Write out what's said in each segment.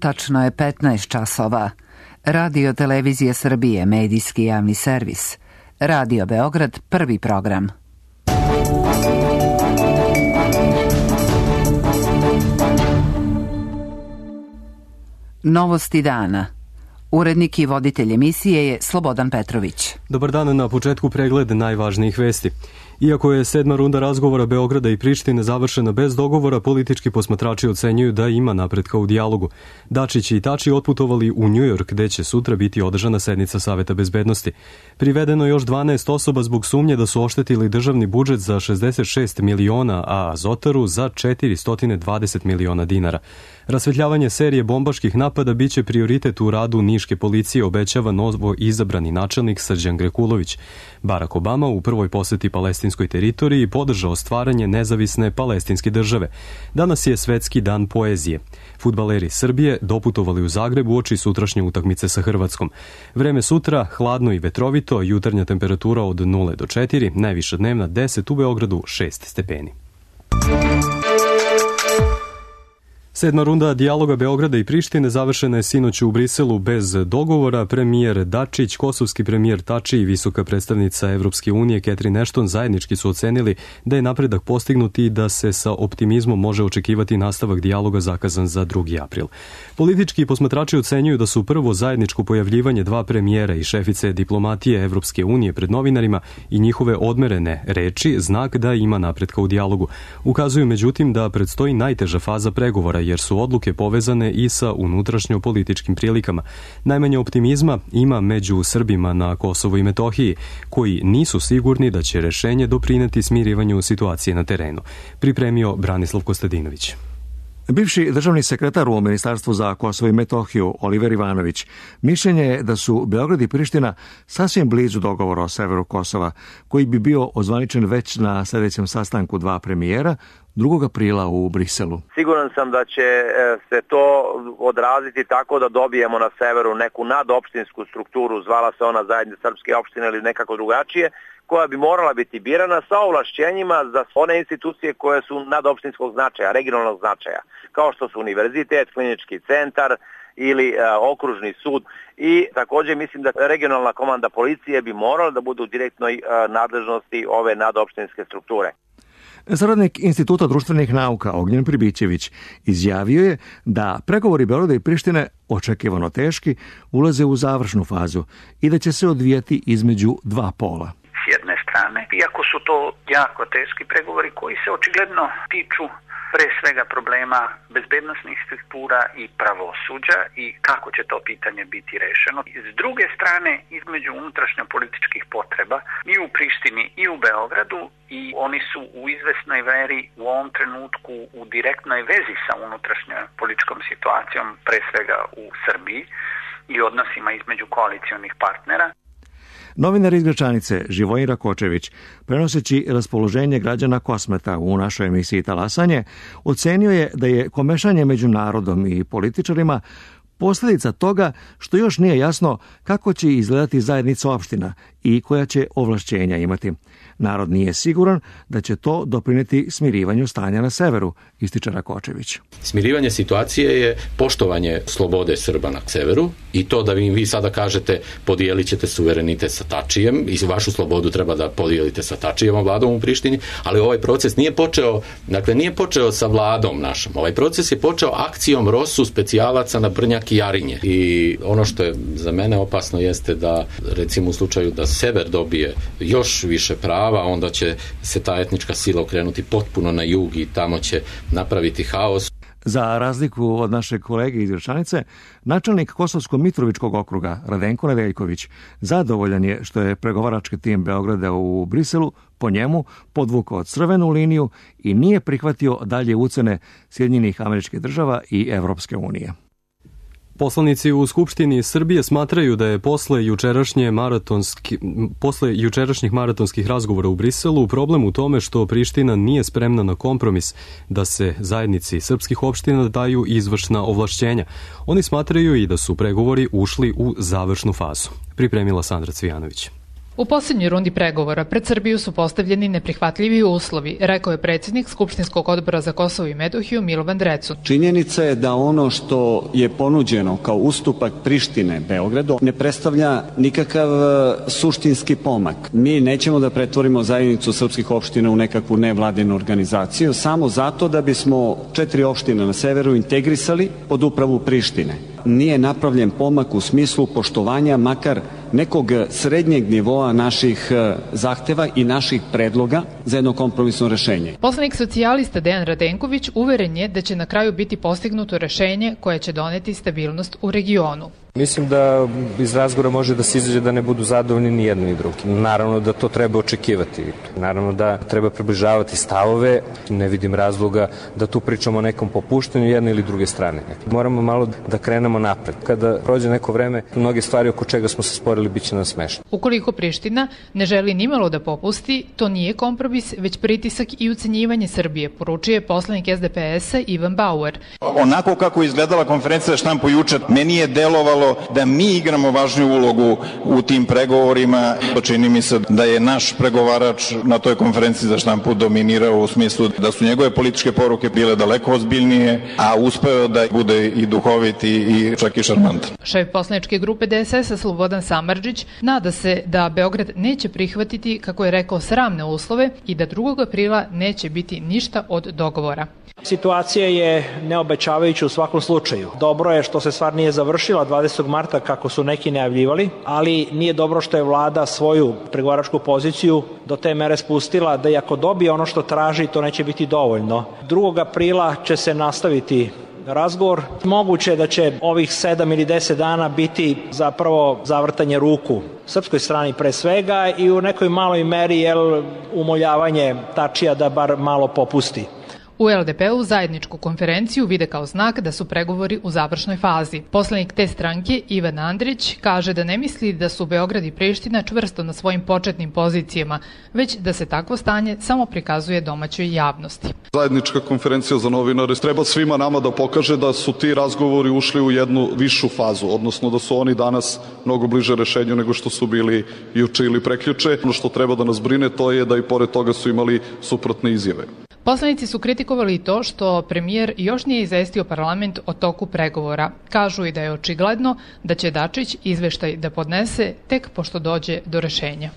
Tačno je 15 časova. Radio Televizije Srbije, medijski javni servis. Radio Beograd, prvi program. Novosti dana. Urednik i voditelj emisije je Slobodan Petrović. Dobar dan, na početku pregled najvažnijih vesti. Iako je 7. runda razgovora Beograda i Prištine završena bez dogovora, politički posmatrači ocenjuju da ima napretka u dijalogu. Dačić i Tači otputovali u Njujork, gde će sutra biti održana sednica Saveta bezbednosti. Privedeno još 12 osoba zbog sumnje da su oštetili državni budžet za 66 miliona, a Azotaru za 420 miliona dinara. Rasvetljavanje serije bombaških napada biće prioritet u radu niške policije, obećava novo izabrani načelnik Srđan Grekulović. Barack Obama u prvoj poseti palestinskoj teritoriji podržao stvaranje nezavisne palestinske države. Danas je Svetski dan poezije. Fudbaleri Srbije doputovali u Zagreb uoči sutrašnje utakmice sa Hrvatskom. Vreme sutra hladno i vetrovito, jutarnja temperatura od 0 do 4, najviša dnevna 10, u Beogradu 6 stepeni. 7. runda dijaloga Beograda i Prištine završena je sinoć u Briselu bez dogovora. Premijer Dačić, kosovski premijer Tači i visoka predstavnica Evropske unije Catherine Ashton zajednički su ocenili da je napredak postignut i da se sa optimizmom može očekivati nastavak dijaloga zakazan za 2. april. Politički posmatrači ocenjuju da su prvo zajedničko pojavljivanje dva premijera i šefice diplomatije Evropske unije pred novinarima i njihove odmerene reči znak da ima napretka u dijalogu. Ukazuju međutim da predstoji najteža faza pregovora, jer su odluke povezane i sa unutrašnjo-političkim prilikama. Najmanje optimizma ima među Srbima na Kosovu i Metohiji, koji nisu sigurni da će rešenje doprineti smirivanju situacije na terenu. Pripremio Branislav Kostadinović. Bivši državni sekretar u Ministarstvu za Kosovo i Metohiju, Oliver Ivanović, mišljenje je da su Beograd i Priština sasvim blizu dogovora o severu Kosova, koji bi bio ozvaničen već na sljedećem sastanku dva premijera 2. aprila u Briselu. Siguran sam da će se to odraziti tako da dobijemo na severu neku nadopštinsku strukturu, zvala se ona zajednica srpske opštine ili nekako drugačije, koja bi morala biti birana sa ovlašćenjima za one institucije koje su nadopštinskog značaja, regionalnog značaja, kao što su univerzitet, klinički centar ili okružni sud. I također mislim da regionalna komanda policije bi morala da bude u direktnoj nadležnosti ove nadopštinske strukture. Saradnik Instituta društvenih nauka Ognjen Pribićević izjavio je da pregovori Beograda i Prištine, očekivano teški, ulaze u završnu fazu i da će se odvijati između dva pola. S jedne strane, iako su to jako teški pregovori koji se očigledno tiču pre svega problema bezbednosnih struktura i pravosuđa i kako će to pitanje biti rešeno. S druge strane, između unutrašnjo-političkih potreba i u Prištini i u Beogradu, i oni su u izvesnoj veri u ovom trenutku u direktnoj vezi sa unutrašnjo-političkom situacijom, pre svega u Srbiji i odnosima između koalicionih partnera. Novinar iz Gračanice Živojin Rakočević, prenoseći raspoloženje građana Kosmeta u našoj emisiji Talasanje, ocenio je da je komešanje među narodom i političarima posljedica toga što još nije jasno kako će izgledati zajednica opština i koja će ovlašćenja imati. Narod nije siguran da će to doprineti smirivanju stanja na severu, ističe Rakočević. Smirivanje situacije je poštovanje slobode Srba na severu i to da vi sada kažete podijelit ćete suverenitet sa Tačijem i vašu slobodu treba da podijelite sa Tačijevom vladom u Prištini, ali ovaj proces nije počeo sa vladom našom. Ovaj proces je počeo akcijom ROSU specijalaca na Brnjak i Jarinje. I ono što je za mene opasno jeste da recimo u slučaju da sever dobije još više prava, onda će se ta etnička sila okrenuti potpuno na jug i tamo će napraviti haos. Za razliku od našeg kolege iz Gračanice, načelnik Kosovsko-Mitrovičkog okruga Radenko Nedeljković zadovoljan je što je pregovarački tim Beograda u Briselu po njemu podvukao crvenu liniju i nije prihvatio dalje ucene Sjedinjenih Američkih Država i Evropske unije. Poslanici u Skupštini Srbije smatraju da je posle jučerašnjih maratonskih razgovora u Briselu problem u tome što Priština nije spremna na kompromis da se zajednici srpskih opština daju izvršna ovlašćenja. Oni smatraju i da su pregovori ušli u završnu fazu. Pripremila Sandra Cvijanović. U posljednjoj rundi pregovora pred Srbiju su postavljeni neprihvatljivi uslovi, rekao je predsjednik Skupštinskog odbora za Kosovo i Metohiju Milovan Drecun. Činjenica je da ono što je ponuđeno kao ustupak Prištine Beogradu ne predstavlja nikakav suštinski pomak. Mi nećemo da pretvorimo zajednicu srpskih opština u nekakvu nevladinu organizaciju samo zato da bismo 4 opštine na severu integrisali pod upravu Prištine. Nije napravljen pomak u smislu poštovanja makar nekog srednjeg nivoa naših zahteva i naših predloga za jedno kompromisno rešenje. Poslanik socijalista Dejan Radenković uveren je da će na kraju biti postignuto rešenje koje će doneti stabilnost u regionu. Mislim da iz razgovora može da se izađe da ne budu zadovoljni ni jedni ni drugi. Naravno da to treba očekivati. Naravno da treba približavati stavove. Ne vidim razloga da tu pričamo o nekom popuštanju jedne ili druge strane. Moramo malo da krenemo napred. Kada prođe neko vreme, mnoge stvari oko čega smo se sporili biće nam smešno. Ukoliko Priština ne želi nimalo da popusti, to nije kompromis, već pritisak i ucenjivanje Srbije, poručuje poslanik SDP-a Ivan Bauer. Onako kako je izgledala konferencija za štampu juče, meni je delovalo da mi igramo važniju ulogu u tim pregovorima. Čini mi se da je naš pregovarač na toj konferenciji za štampu dominirao u smislu da su njegove političke poruke bile daleko ozbiljnije, a uspeo da bude i duhovit i čak i šarmantan. Šef poslaničke grupe DSS-a Slobodan Samardžić nada se da Beograd neće prihvatiti, kako je rekao, sramne uslove i da 2. aprila neće biti ništa od dogovora. Situacija je neobećavajuća u svakom slučaju. Dobro je što se stvar nije završila 20. marta kako su neki najavljivali, ali nije dobro što je vlada svoju pregovaračku poziciju do te mere spustila da i ako dobije ono što traži, to neće biti dovoljno. 2. aprila će se nastaviti razgovor. Moguće je da će ovih 7 ili 10 dana biti zapravo zavrtanje ruku srpskoj strani pre svega i u nekoj maloj meri umoljavanje Tačija da bar malo popusti. U LDP-u zajedničku konferenciju vide kao znak da su pregovori u završnoj fazi. Poslanik te stranke Ivan Andrić kaže da ne misli da su Beograd i Priština čvrsto na svojim početnim pozicijama, već da se takvo stanje samo prikazuje domaćoj javnosti. Zajednička konferencija za novinare treba svima nama da pokaže da su ti razgovori ušli u jednu višu fazu, odnosno da su oni danas mnogo bliže rešenju nego što su bili juče ili prekjuče. Ono što treba da nas brine to je da i pored toga su imali suprotne izjave. Poslanici su kritikovali to što premijer još nije izvestio parlament o toku pregovora. Kažu i da je očigledno da će Dačić izveštaj da podnese tek pošto dođe do rešenja.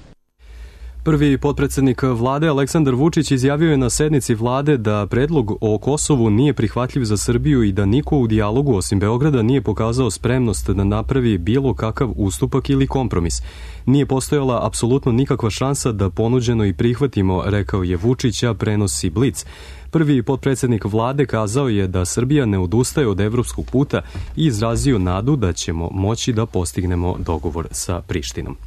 Prvi potpredsednik vlade Aleksandar Vučić izjavio je na sednici vlade da predlog o Kosovu nije prihvatljiv za Srbiju i da niko u dijalogu osim Beograda nije pokazao spremnost da napravi bilo kakav ustupak ili kompromis. Nije postojala apsolutno nikakva šansa da ponuđeno i prihvatimo, rekao je Vučić, a prenosi Blic. Prvi potpredsednik vlade kazao je da Srbija ne odustaje od evropskog puta i izrazio nadu da ćemo moći da postignemo dogovor sa Prištinom.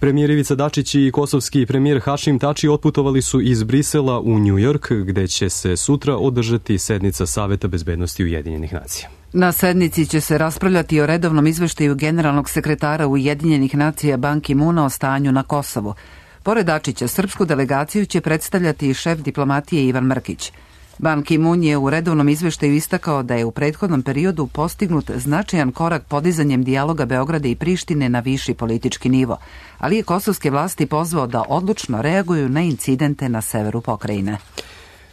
Premijer Ivica Dačić i kosovski premijer Hašim Tači otputovali su iz Brisela u Njujork, gde će se sutra održati sednica Saveta bezbednosti Ujedinjenih nacija. Na sednici će se raspravljati o redovnom izveštaju generalnog sekretara Ujedinjenih nacija Ban Ki-moona o stanju na Kosovu. Pored Dačića, srpsku delegaciju će predstavljati i šef diplomatije Ivan Mrkić. Ban Ki-moon je u redovnom izveštaju istakao da je u prethodnom periodu postignut značajan korak podizanjem dijaloga Beograda i Prištine na viši politički nivo, ali je kosovske vlasti pozvao da odlučno reaguju na incidente na severu pokrajine.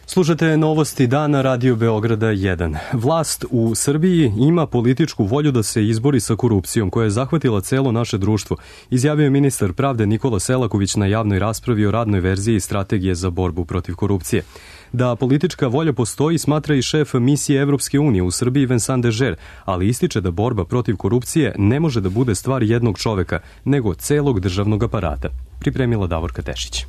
Slušate novosti dana Radio Beograda 1. Vlast u Srbiji ima političku volju da se izbori sa korupcijom koja je zahvatila celo naše društvo, izjavio je ministar pravde Nikola Selaković na javnoj raspravi o radnoj verziji strategije za borbu protiv korupcije. Da politička volja postoji smatra i šef misije Evropske unije u Srbiji Vincent Dežer, ali ističe da borba protiv korupcije ne može da bude stvar jednog čoveka, nego celog državnog aparata. Pripremila Davorka Tešić.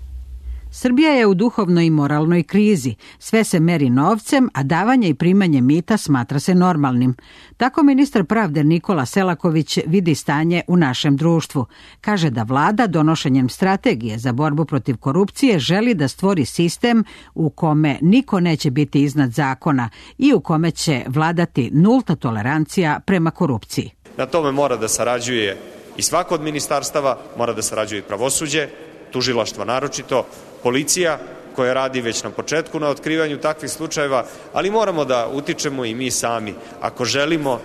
Srbija je u duhovnoj i moralnoj krizi. Sve se meri novcem, a davanje i primanje mita smatra se normalnim. Tako ministar pravde Nikola Selaković vidi stanje u našem društvu. Kaže da vlada donošenjem strategije za borbu protiv korupcije želi da stvori sistem u kome niko neće biti iznad zakona i u kome će vladati nulta tolerancija prema korupciji. Na tome mora da sarađuje i svako od ministarstava, mora da sarađuje i pravosuđe, tužilaštvo naročito, policija koja radi već na početku na otkrivanju takvih slučajeva, ali moramo da utičemo i mi sami. Ako želimo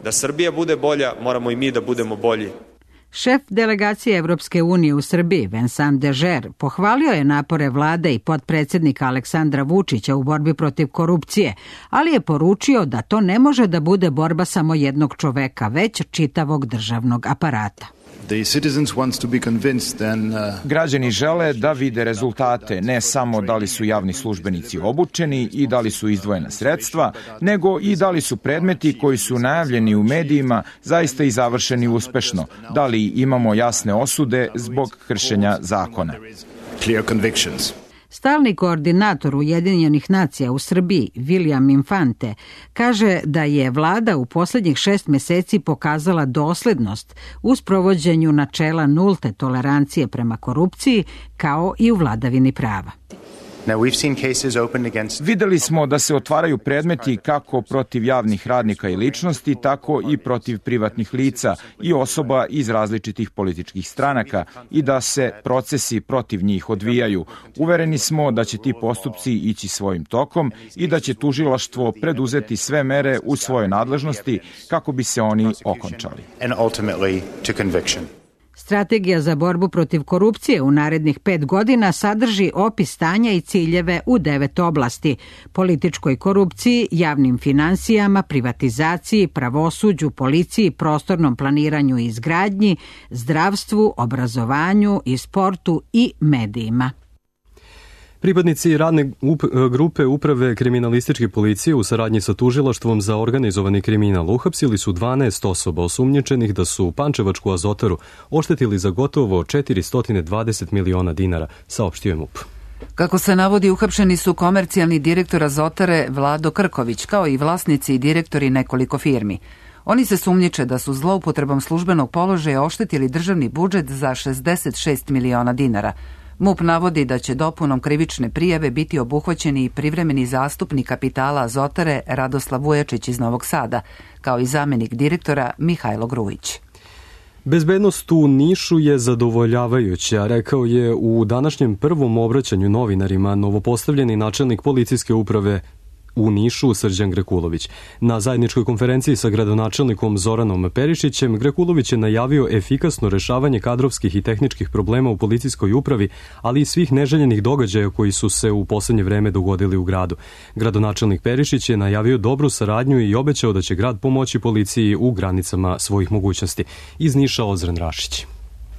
da Srbija bude bolja, moramo i mi da budemo bolji. Šef delegacije Evropske unije u Srbiji, Vincent Dežer, pohvalio je napore vlade i potpredsjednika Aleksandra Vučića u borbi protiv korupcije, ali je poručio da to ne može da bude borba samo jednog čoveka, već čitavog državnog aparata. Građani žele da vide rezultate, ne samo da li su javni službenici obučeni i da li su izdvojena sredstva, nego i da li su predmeti koji su najavljeni u medijima zaista i završeni uspešno, da li imamo jasne osude zbog kršenja zakona. Stalni koordinator Ujedinjenih nacija u Srbiji, William Infante, kaže da je vlada u posljednjih 6 meseci pokazala doslednost u sprovođenju načela nulte tolerancije prema korupciji, kao i u vladavini prava. Videli smo da se otvaraju predmeti kako protiv javnih radnika i ličnosti, tako i protiv privatnih lica i osoba iz različitih političkih stranaka i da se procesi protiv njih odvijaju. Uvereni smo da će ti postupci ići svojim tokom i da će tužilaštvo preduzeti sve mere u svojoj nadležnosti kako bi se oni okončali. Strategija za borbu protiv korupcije u narednih 5 godina sadrži opis stanja i ciljeve u 9 oblasti: političkoj korupciji, javnim finansijama, privatizaciji, pravosuđu, policiji, prostornom planiranju i izgradnji, zdravstvu, obrazovanju i sportu i medijima. Pripadnici radne grupe Uprave kriminalističke policije u saradnji sa tužilaštvom za organizovani kriminal uhapsili su 12 osoba osumnjičenih da su Pančevačku Azotaru oštetili za gotovo 420 miliona dinara, saopštio je MUP. Kako se navodi, uhapšeni su komercijalni direktor Azotare Vlado Krković, kao i vlasnici i direktori nekoliko firmi. Oni se sumnjiče da su zloupotrebom službenog položaja oštetili državni budžet za 66 miliona dinara. MUP navodi da će dopunom krivične prijave biti obuhvaćeni i privremeni zastupnik kapitala Azotare Radoslav Vujačić iz Novog Sada, kao i zamenik direktora Mihajlo Grujić. Bezbednost u Nišu je zadovoljavajuća, rekao je u današnjem prvom obraćanju novinarima novopostavljeni načelnik policijske uprave u Nišu Srđan Grekulović. Na zajedničkoj konferenciji sa gradonačelnikom Zoranom Perišićem, Grekulović je najavio efikasno rešavanje kadrovskih i tehničkih problema u policijskoj upravi, ali i svih neželjenih događaja koji su se u poslednje vreme dogodili u gradu. Gradonačelnik Perišić je najavio dobru saradnju i obećao da će grad pomoći policiji u granicama svojih mogućnosti. Iz Niša Ozren Rašić.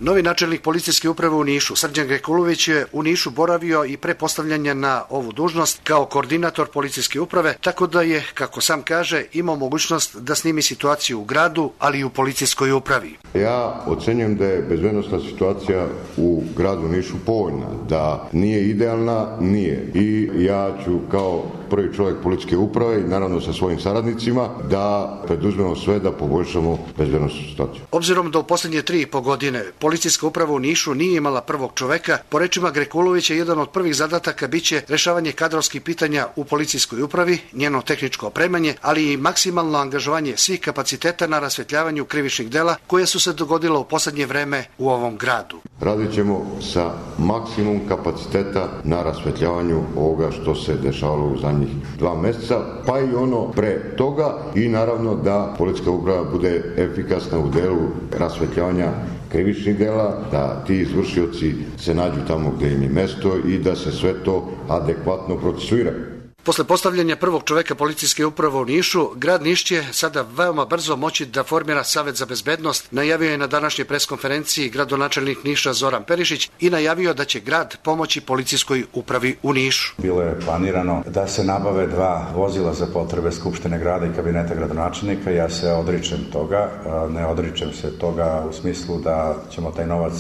Novi načelnik policijske uprave u Nišu, Srđan Grekulović, je u Nišu boravio i pre postavljanja na ovu dužnost kao koordinator policijske uprave, tako da je, kako sam kaže, imao mogućnost da snimi situaciju u gradu, ali i u policijskoj upravi. Ja ocenjujem da je bezbednosna situacija u gradu Nišu povoljna, da nije idealna, nije. I ja ću kao prvi čovjek policijske uprave i naravno sa svojim saradnicima da preduzmemo sve da poboljšamo bezbednosnu situaciju. Obzirom da u posljednje 3,5 godine policijska uprava u Nišu nije imala prvog čoveka, po rečima Grekulovića, jedan od prvih zadataka biće rešavanje kadrovskih pitanja u policijskoj upravi, njeno tehničko opremanje, ali i maksimalno angažovanje svih kapaciteta na rasvetljavanju krivičnih dela koje su se dogodila u poslednje vreme u ovom gradu. Radit ćemo sa maksimum kapaciteta na rasvetljavanju ovoga što se dešavalo u zadnjih 2 meseca, pa i ono pre toga, i naravno da policijska uprava bude efikasna u delu rasvetljavanja krivičnih dela, da ti izvršioci se nađu tamo gde im je mesto i da se sve to adekvatno procesuira. Posle postavljanja prvog čoveka policijske uprave u Nišu, grad Niš će sada veoma brzo moći da formira Savet za bezbednost, najavio je na današnjoj preskonferenciji gradonačelnik Niša Zoran Perišić i najavio da će grad pomoći policijskoj upravi u Nišu. Bilo je planirano da se nabave 2 vozila za potrebe Skupštine grada i kabineta gradonačelnika. Ja se odričem toga, ne odričem se toga u smislu da ćemo taj novac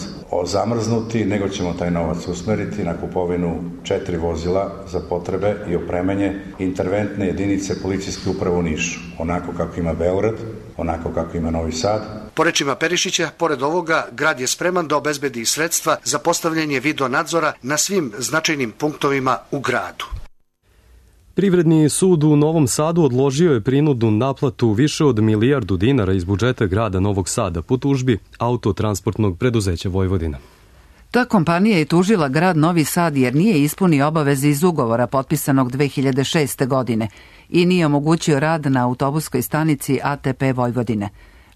zamrznuti, nego ćemo taj novac usmeriti na kupovinu 4 vozila za potrebe i opremanje interventne jedinice policijske uprave u Nišu, onako kako ima Beograd, onako kako ima Novi Sad. Po rečima Perišića, pored ovoga, grad je spreman da obezbedi sredstva za postavljanje video nadzora na svim značajnim punktovima u gradu. Privredni sud u Novom Sadu odložio je prinudnu naplatu više od 1 milijardu dinara iz budžeta grada Novog Sada po tužbi Autotransportnog preduzeća Vojvodina. Ta kompanija je tužila grad Novi Sad jer nije ispunio obaveze iz ugovora potpisanog 2006. godine i nije omogućio rad na autobuskoj stanici ATP Vojvodine.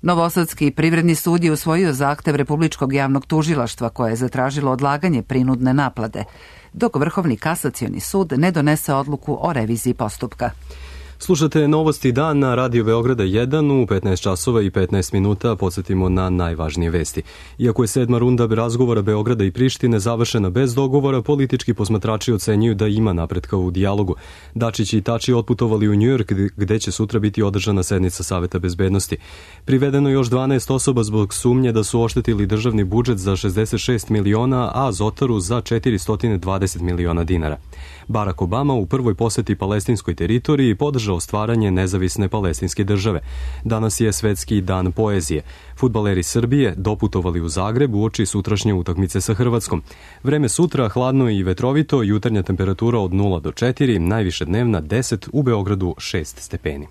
Novosadski privredni sud je usvojio zahtev Republičkog javnog tužilaštva koje je zatražilo odlaganje prinudne naplate, dok Vrhovni kasacioni sud ne donese odluku o reviziji postupka. Slušate Novosti dan na Radio Beograda 1 u 15 časova i 15 minuta. Podsjetimo na najvažnije vesti. Iako je 7. runda razgovora Beograda i Prištine završena bez dogovora, politički posmatrači ocenjuju da ima napretka u dijalogu. Dačić i Tači otputovali u Njujork gde će sutra biti održana sednica Saveta bezbednosti. Privedeno još 12 osoba zbog sumnje da su oštetili državni budžet za 66 miliona, a Zotaru za 420 miliona dinara. Barack Obama u prvoj poseti palestinskoj teritoriji podržao stvaranje nezavisne palestinske države. Danas je Svetski dan poezije. Fudbaleri Srbije doputovali u Zagreb uoči sutrašnje utakmice sa Hrvatskom. Vreme sutra hladno i vetrovito, jutarnja temperatura od 0 do 4, najviše dnevna 10, u Beogradu 6 stepeni.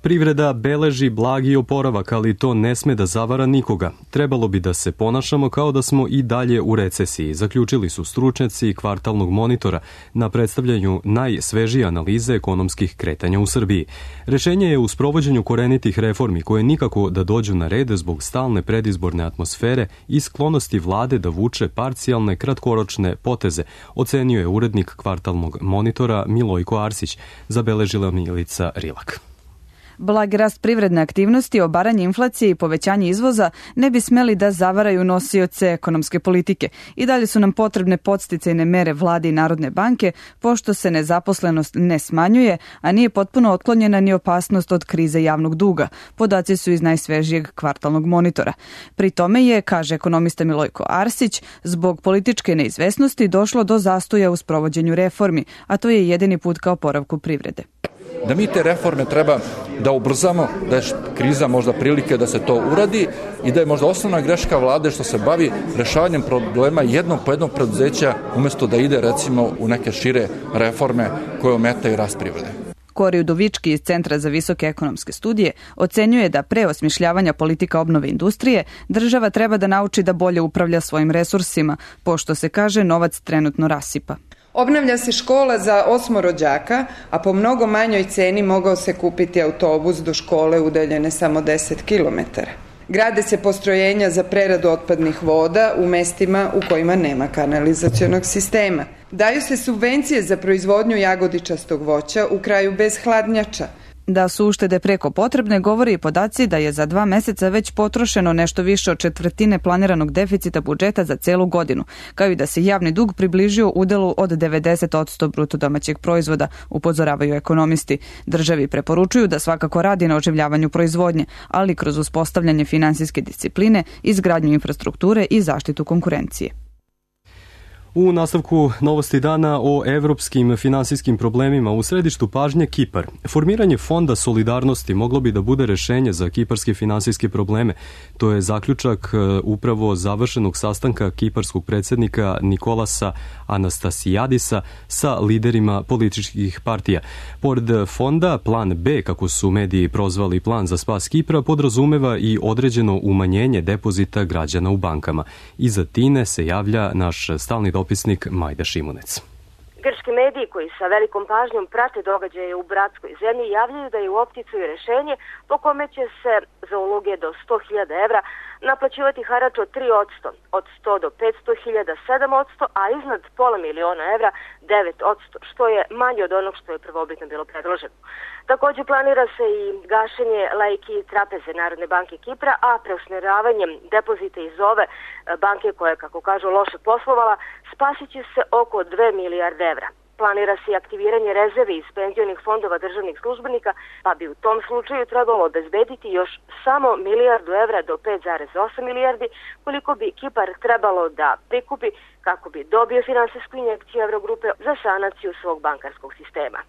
Privreda beleži blagi oporavak, ali to ne sme da zavara nikoga. Trebalo bi da se ponašamo kao da smo i dalje u recesiji, zaključili su stručnjaci kvartalnog monitora na predstavljanju najsvežije analize ekonomskih kretanja u Srbiji. Rešenje je u sprovođenju korenitih reformi koje nikako da dođu na red zbog stalne predizborne atmosfere i sklonosti vlade da vuče parcijalne kratkoročne poteze, ocenio je urednik kvartalnog monitora Milojko Arsić, zabeležila Milica Rilak. Blagi rast privredne aktivnosti, obaranje inflacije i povećanje izvoza ne bi smeli da zavaraju nosioce ekonomske politike. I dalje su nam potrebne podsticajne mere vlade i Narodne banke, pošto se nezaposlenost ne smanjuje, a nije potpuno otklonjena ni opasnost od krize javnog duga. Podaci su iz najsvežijeg kvartalnog monitora. Pri tome je, kaže ekonomista Milojko Arsić, zbog političke neizvesnosti došlo do zastoja u sprovođenju reformi, a to je jedini put ka oporavku privrede. Da mi te reforme treba da ubrzamo, da je kriza možda prilike da se to uradi i da je možda osnovna greška vlade što se bavi rešavanjem problema jednog po jednog preduzeća umjesto da ide recimo u neke šire reforme koje ometaju rast privrede. Kori Udovički iz Centra za visoke ekonomske studije ocenjuje da pre osmišljavanja politika obnove industrije država treba da nauči da bolje upravlja svojim resursima, pošto se kaže novac trenutno rasipa. Obnavlja se škola za 8 rođaka, a po mnogo manjoj ceni mogao se kupiti autobus do škole udaljene samo 10 km. Grade se postrojenja za preradu otpadnih voda u mestima u kojima nema kanalizacionog sistema. Daju se subvencije za proizvodnju jagodičastog voća u kraju bez hladnjača. Da su uštede preko potrebne, govori i podaci da je za 2 meseca već potrošeno nešto više od četvrtine planiranog deficita budžeta za celu godinu, kao i da se javni dug približio udelu od 90% bruto domaćeg proizvoda, upozoravaju ekonomisti. Državi preporučuju da svakako radi na oživljavanju proizvodnje, ali kroz uspostavljanje finansijske discipline, izgradnju infrastrukture i zaštitu konkurencije. U nastavku Novosti dana o evropskim finansijskim problemima u središtu pažnje Kipar. Formiranje fonda solidarnosti moglo bi da bude rešenje za kiparske finansijske probleme. To je zaključak upravo završenog sastanka kiparskog predsjednika Nikolasa Anastasijadisa sa liderima političkih partija. Pored fonda, plan B, kako su mediji prozvali plan za spas Kipra, podrazumeva i određeno umanjenje depozita građana u bankama. Iza Tine se javlja naš stalni dopisnik Majda Šimunec. Grčki mediji koji sa velikom pažnjom prate događaje u bratskoj zemlji javljaju da je u opticu i rešenje po kome će se za uloge do 100.000 evra naplaćivati harač od 3%, od 100 do 500.000 7%, a iznad pola miliona evra 9%, što je manje od onog što je prvobitno bilo predloženo. Također planira se i gašenje lajki trapeze Narodne banke Kipra, a preusmjeravanjem depozita iz ove banke koja je, kako kažu, loše poslovala, spasit će se oko 2 milijarde evra. Planira se i aktiviranje rezervi iz penzionih fondova državnih službenika, pa bi u tom slučaju trebalo obezbediti još samo milijardu evra do 5,8 milijardi, koliko bi Kipar trebalo da prikupi kako bi dobio finansijsku injekciju Eurogrupe za sanaciju svog bankarskog sistema.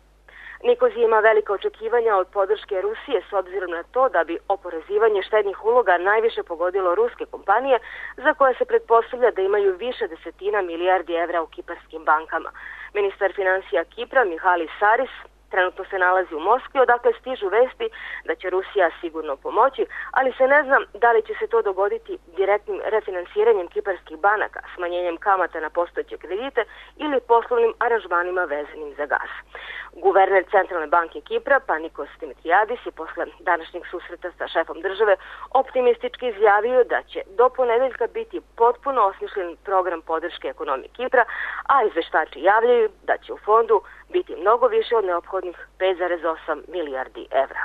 Nikozi ima velika očekivanja od podrške Rusije s obzirom na to da bi oporezivanje štednih uloga najviše pogodilo ruske kompanije za koje se pretpostavlja da imaju više desetina milijardi evra u kiparskim bankama. Ministar financija Kipra Mihalis Saris Trenutno se nalazi u Moskvi, odakle stižu vesti da će Rusija sigurno pomoći, ali se ne zna da li će se to dogoditi direktnim refinansiranjem kiparskih banaka, smanjenjem kamata na postojeće kredite ili poslovnim aranžmanima vezanim za gas. Guverner Centralne banke Kipra, Panikos Dimitriadis, je posle današnjeg susreta sa šefom države optimistički izjavio da će do ponedeljka biti potpuno osmišljen program podrške ekonomije Kipra, a izveštači javljaju da će u fondu biti mnogo više od neophodnih 5,8 milijardi evra.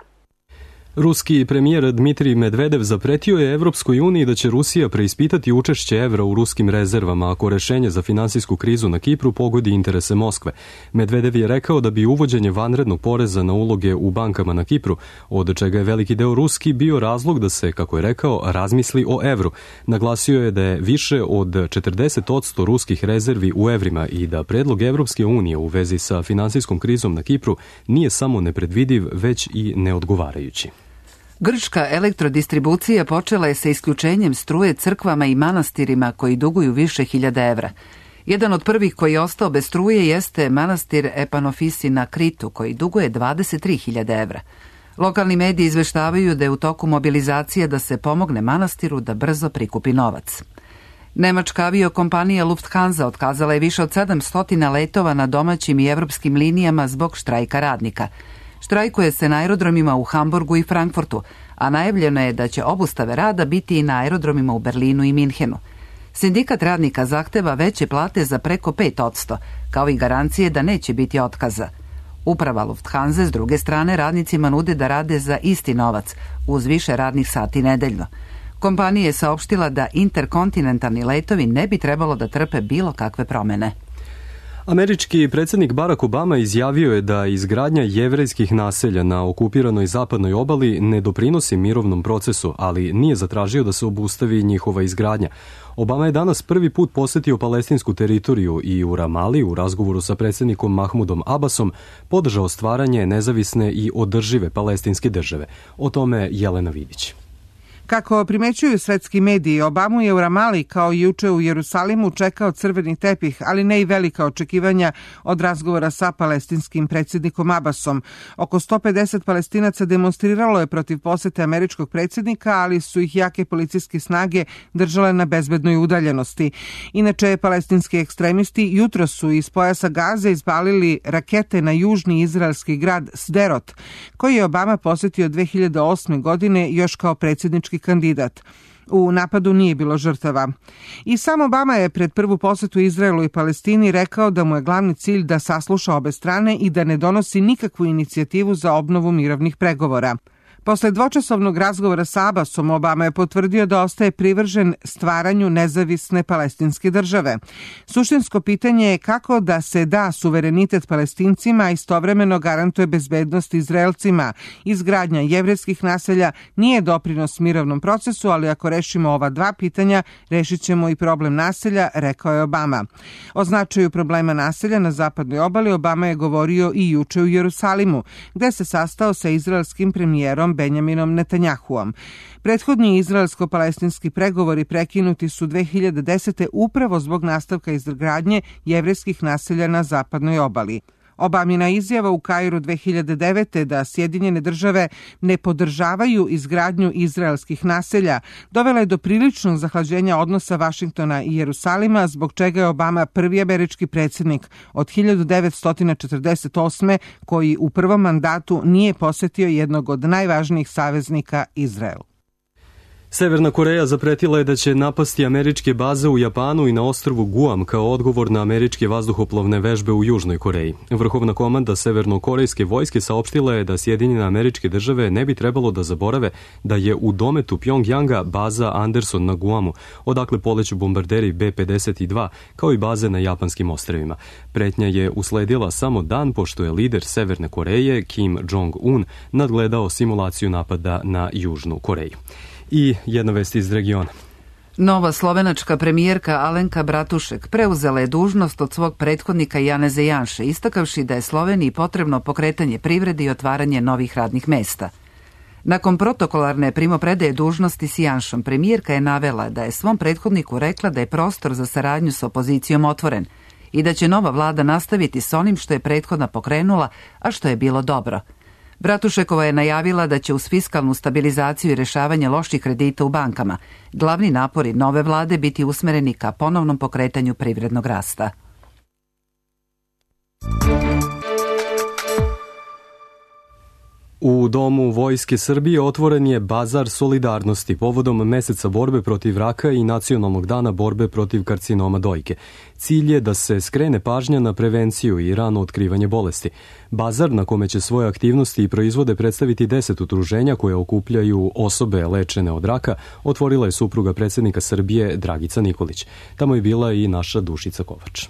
Ruski premijer Dmitrij Medvedev zapretio je Evropskoj uniji da će Rusija preispitati učešće evra u ruskim rezervama ako rešenje za finansijsku krizu na Kipru pogodi interese Moskve. Medvedev je rekao da bi uvođenje vanrednog poreza na uloge u bankama na Kipru, od čega je veliki deo ruski, bio razlog da se, kako je rekao, razmisli o evru. Naglasio je da je više od 40% ruskih rezervi u evrima i da predlog Evropske unije u vezi sa finansijskom krizom na Kipru nije samo nepredvidiv, već i neodgovarajući. Grčka elektrodistribucija počela je sa isključenjem struje crkvama i manastirima koji duguju više hiljada evra. Jedan od prvih koji je ostao bez struje jeste manastir Epanofisi na Kritu, koji duguje 23.000 evra. Lokalni mediji izveštavaju da je u toku mobilizacije da se pomogne manastiru da brzo prikupi novac. Nemačka aviokompanija Lufthansa otkazala je više od 700 letova na domaćim i evropskim linijama zbog štrajka radnika. Štrajkuje se na aerodromima u Hamburgu i Frankfurtu, a najavljeno je da će obustave rada biti i na aerodromima u Berlinu i Minhenu. Sindikat radnika zahteva veće plate za preko 5%, kao i garancije da neće biti otkaza. Uprava Lufthansa s druge strane radnicima nude da rade za isti novac, uz više radnih sati nedeljno. Kompanija je saopštila da interkontinentalni letovi ne bi trebalo da trpe bilo kakve promene. Američki predsjednik Barack Obama izjavio je da izgradnja jevrejskih naselja na okupiranoj zapadnoj obali ne doprinosi mirovnom procesu, ali nije zatražio da se obustavi njihova izgradnja. Obama je danas prvi put posetio palestinsku teritoriju i u Ramali u razgovoru sa predsjednikom Mahmudom Abbasom podržao stvaranje nezavisne i održive palestinske države. O tome Jelena Vidić. Kako primećuju svetski mediji, Obamu je u Ramali kao i juče u Jerusalimu čekao crveni tepih, ali ne i velika očekivanja od razgovora sa palestinskim predsjednikom Abbasom. Oko 150 Palestinaca demonstriralo je protiv posete američkog predsjednika, ali su ih jake policijske snage držale na bezbednoj udaljenosti. Inače, palestinski ekstremisti jutro su iz pojasa Gaze izbalili rakete na južni izraelski grad Sderot, koji je Obama posetio 2008. godine još kao predsjednički kandidat. U napadu nije bilo žrtava. I sam Obama je pred prvu posetu Izraelu i Palestini rekao da mu je glavni cilj da sasluša obe strane i da ne donosi nikakvu inicijativu za obnovu mirovnih pregovora. Posle dvočasovnog razgovora sa Abbasom, Obama je potvrdio da ostaje privržen stvaranju nezavisne palestinske države. Suštinsko pitanje je kako da se da suverenitet Palestincima, a istovremeno garantuje bezbednost Izraelcima. Izgradnja jevrejskih naselja nije doprinos mirovnom procesu, ali ako rešimo ova dva pitanja, rešit ćemo i problem naselja, rekao je Obama. O značaju problema naselja na zapadnoj obali Obama je govorio i juče u Jerusalimu, gde se sastao sa izraelskim premijerom Benjaminom Netanjahuom. Prethodni izraelsko-palestinski pregovori prekinuti su 2010. upravo zbog nastavka izgradnje jevrejskih naselja na zapadnoj obali. Obamina izjava u Kairu 2009. da Sjedinjene države ne podržavaju izgradnju izraelskih naselja dovela je do priličnog zahlađenja odnosa Vašingtona i Jerusalima, zbog čega je Obama prvi američki predsjednik od 1948. koji u prvom mandatu nije posetio jednog od najvažnijih saveznika, Izrael. Severna Koreja zapretila je da će napasti američke baze u Japanu i na ostrvu Guam kao odgovor na američke vazduhoplovne vežbe u Južnoj Koreji. Vrhovna komanda severnokorejske vojske saopštila je da Sjedinjene Američke Države ne bi trebalo da zaborave da je u dometu Pjongjanga baza Anderson na Guamu, odakle poleću bombarderi B-52, kao i baze na japanskim ostrvima. Pretnja je usledila samo dan pošto je lider Severne Koreje, Kim Jong-un, nadgledao simulaciju napada na Južnu Koreju. I jedna vest iz regiona. Nova slovenačka premijerka Alenka Bratušek preuzela je dužnost od svog prethodnika Janeza Janše, istakavši da je Sloveniji potrebno pokretanje privrede i otvaranje novih radnih mesta. Nakon protokolarne primopredaje dužnosti s Janšom, premijerka je navela da je svom prethodniku rekla da je prostor za saradnju s opozicijom otvoren i da će nova vlada nastaviti s onim što je prethodna pokrenula, a što je bilo dobro. Bratušekova je najavila da će uz fiskalnu stabilizaciju i rešavanje loših kredita u bankama glavni napori nove vlade biti usmereni ka ponovnom pokretanju privrednog rasta. U Domu Vojske Srbije otvoren je bazar solidarnosti povodom meseca borbe protiv raka i Nacionalnog dana borbe protiv karcinoma dojke. Cilj je da se skrene pažnja na prevenciju i rano otkrivanje bolesti. Bazar, na kome će svoje aktivnosti i proizvode predstaviti 10 udruženja koje okupljaju osobe lečene od raka, otvorila je supruga predsjednika Srbije Dragica Nikolić. Tamo je bila i naša Dušica Kovač.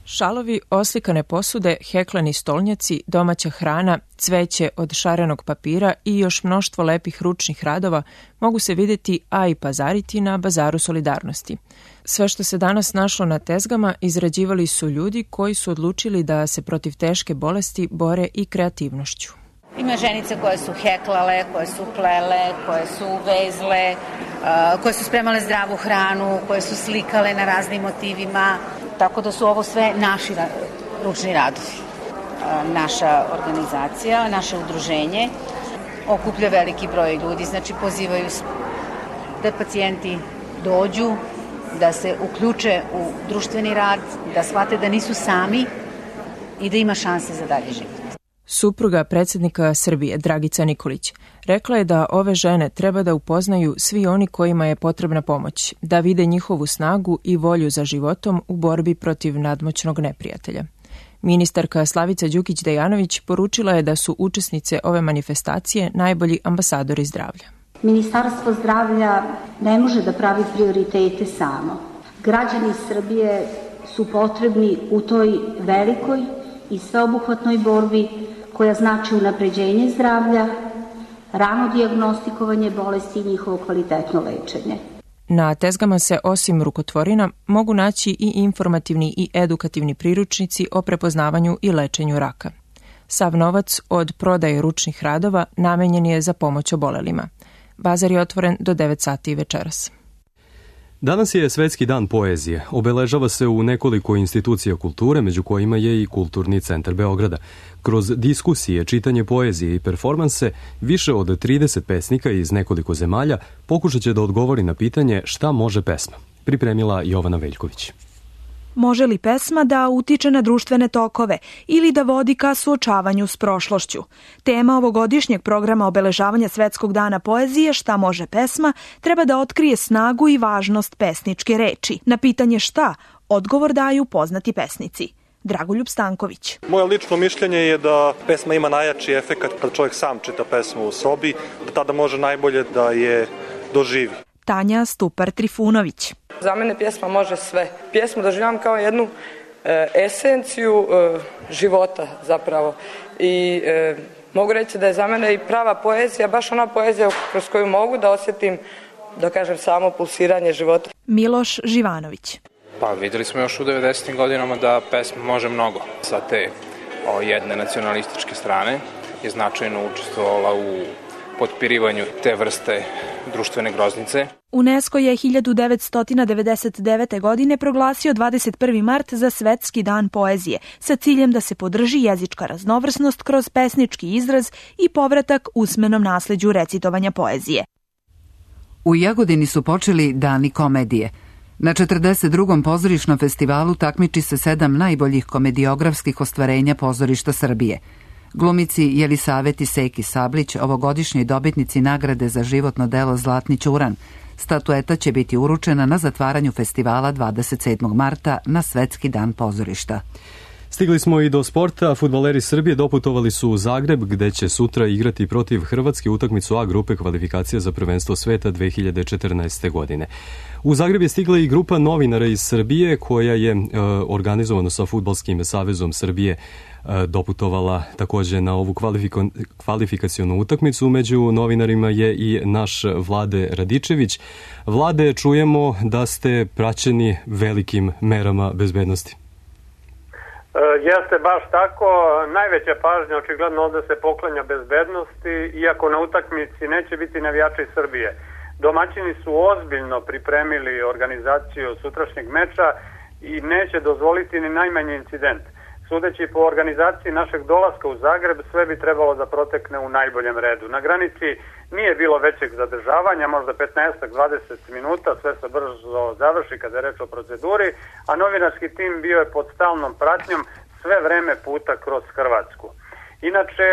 Šalovi, oslikane posude, hekleni stolnjaci, domaća hrana, cveće od šarenog papira i još mnoštvo lepih ručnih radova mogu se vidjeti, a i pazariti na bazaru solidarnosti. Sve što se danas našlo na tezgama izrađivali su ljudi koji su odlučili da se protiv teške bolesti bore i kreativnošću. Ima ženice koje su heklale, koje su plele, koje su vezle, koje su spremale zdravu hranu, koje su slikale na raznim motivima. Tako da su ovo sve naši ručni radovi. Naša organizacija, naše udruženje okuplja veliki broj ljudi, znači pozivaju se da pacijenti dođu, da se uključe u društveni rad, da shvate da nisu sami i da ima šanse za dalji život. Supruga predsjednika Srbije, Dragica Nikolić, rekla je da ove žene treba da upoznaju svi oni kojima je potrebna pomoć, da vide njihovu snagu i volju za životom u borbi protiv nadmoćnog neprijatelja. Ministarka Slavica Đukić-Dejanović poručila je da su učesnice ove manifestacije najbolji ambasadori zdravlja. Ministarstvo zdravlja ne može da pravi prioritete samo. Građani Srbije su potrebni u toj velikoj i sveobuhvatnoj borbi koja znači unapređenje zdravlja, rano dijagnostikovanje bolesti i njihovo kvalitetno lečenje. Na tezgama se osim rukotvorina mogu naći i informativni i edukativni priručnici o prepoznavanju i lečenju raka. Sav novac od prodaje ručnih radova namenjen je za pomoć obolelima. Bazar je otvoren do 9 sati večeras. Danas je Svetski dan poezije. Obeležava se u nekoliko institucija kulture, među kojima je i Kulturni centar Beograda. Kroz diskusije, čitanje poezije i performanse, više od 30 pesnika iz nekoliko zemalja pokušat će da odgovori na pitanje šta može pesma. Pripremila Jovana Veljković. Može li pesma da utiče na društvene tokove ili da vodi ka suočavanju s prošlošću? Tema ovogodišnjeg programa obeležavanja Svetskog dana poezije Šta može pesma treba da otkrije snagu i važnost pesničke reči. Na pitanje šta, odgovor daju poznati pesnici. Dragoljub Stanković. Moje lično mišljenje je da pesma ima najjači efekat kad čovjek sam čita pesmu u sobi, da tada može najbolje da je doživi. Tanja Stupar-Trifunović. Za mene pjesma može sve. Pjesmu doživljam kao jednu esenciju života zapravo. I mogu reći da je za mene i prava poezija, baš ona poezija kroz koju mogu da osjetim, da kažem, samo pulsiranje života. Miloš Živanović. Pa vidjeli smo još u 90. godinama da pesma može mnogo. Sa te jedne nacionalističke strane je značajno učestvovala u potpirivanju te vrste društvene groznice. UNESCO je 1999. godine proglasio 21. mart za Svetski dan poezije sa ciljem da se podrži jezička raznovrsnost kroz pesnički izraz i povratak usmenom nasleđu recitovanja poezije. U Jagodini su počeli Dani komedije. Na 42. pozorišnom festivalu takmiči se 7 najboljih komediografskih ostvarenja pozorišta Srbije. Glumici Jelisaveti Seki Sablić, ovogodišnjoj dobitnici nagrade za životno delo Zlatni ćuran. Statueta će biti uručena na zatvaranju festivala 27. marta na Svetski dan pozorišta. Stigli smo i do sporta. Fudbaleri Srbije doputovali su u Zagreb, gde će sutra igrati protiv Hrvatske utakmicu A grupe kvalifikacija za prvenstvo sveta 2014. godine. U Zagreb je stigla i grupa novinara iz Srbije koja je organizovano sa Fudbalskim savezom Srbije doputovala također na ovu kvalifikacionu utakmicu. Među novinarima je i naš Vlade Radičević. Vlade, čujemo da ste praćeni velikim merama bezbednosti. Jeste baš tako, najveća pažnja očigledno ovdje se poklanja bezbednosti, iako na utakmici neće biti navijači Srbije. Domaćini su ozbiljno pripremili organizaciju sutrašnjeg meča i neće dozvoliti ni najmanji incident. Sudeći po organizaciji našeg dolaska u Zagreb, sve bi trebalo da protekne u najboljem redu. Na granici nije bilo većeg zadržavanja, možda 15-20 minuta, sve se brzo završi kada je reč o proceduri, a novinarski tim bio je pod stalnom pratnjom sve vreme puta kroz Hrvatsku. Inače,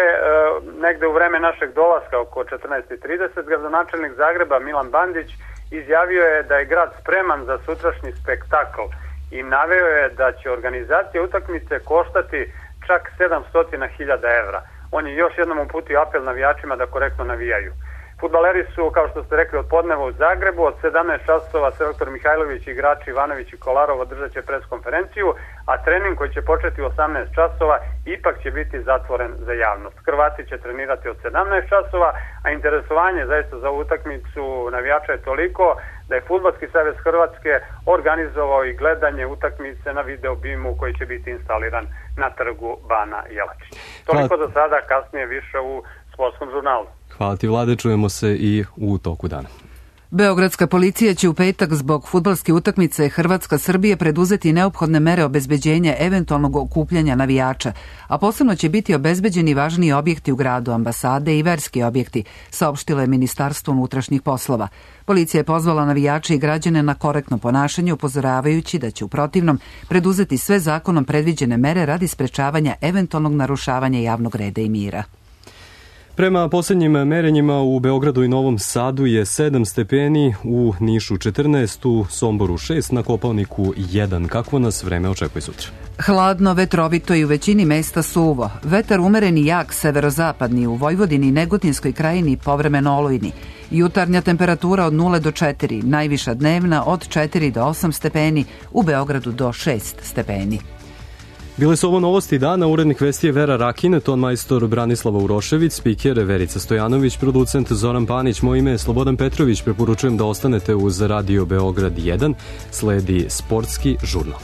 negde u vreme našeg dolaska, oko 14:30, gradonačelnik Zagreba Milan Bandić izjavio je da je grad spreman za sutrašnji spektakl i naveo je da će organizacija utakmice koštati čak 700.000 evra. On je još jednom uputio apel navijačima da korektno navijaju. Fudbaleri su, kao što ste rekli, od podneva u Zagrebu, od 17 časova selektor Mihajlović, igrači Ivanović i Kolarov održat će preskonferenciju, a trening koji će početi u 18 časova ipak će biti zatvoren za javnost. Hrvati će trenirati od 17 časova, a interesovanje zaista za ovu utakmicu navijača je toliko da je Fudbalski savez Hrvatske organizovao i gledanje utakmice na video bimu koji će biti instaliran na trgu Bana Jelačića. Toliko za sada, kasnije više u sportskom žurnalu. Hvala ti, Vlade, čujemo se i u toku dana. Beogradska policija će u petak zbog fudbalske utakmice Hrvatska-Srbije preduzeti neophodne mere obezbeđenja eventualnog okupljanja navijača, a posebno će biti obezbeđeni važniji objekti u gradu, ambasade i verski objekti, saopštilo je Ministarstvo unutrašnjih poslova. Policija je pozvala navijače i građane na korektno ponašanje, upozoravajući da će u protivnom preduzeti sve zakonom predviđene mere radi sprečavanja eventualnog narušavanja javnog reda i mira. Prema posljednjim merenjima u Beogradu i Novom Sadu je 7 stepeni, u Nišu 14, u Somboru 6, na Kopaoniku 1. Kakvo nas vreme očekuje sutra? Hladno, vetrovito i u većini mesta suvo. Vetar umeren i jak severozapadni, u Vojvodini i Negotinskoj krajini povremeno olujni. Jutarnja temperatura od 0 do 4, najviša dnevna od 4 do 8 stepeni, u Beogradu do 6 stepeni. Bile su ovo novosti dana, urednik vesti je Vera Rakin, ton majstor Branislava Urošević, spiker Verica Stojanović, producent Zoran Panić, moje ime je Slobodan Petrović, preporučujem da ostanete uz Radio Beograd 1, sledi sportski žurnal.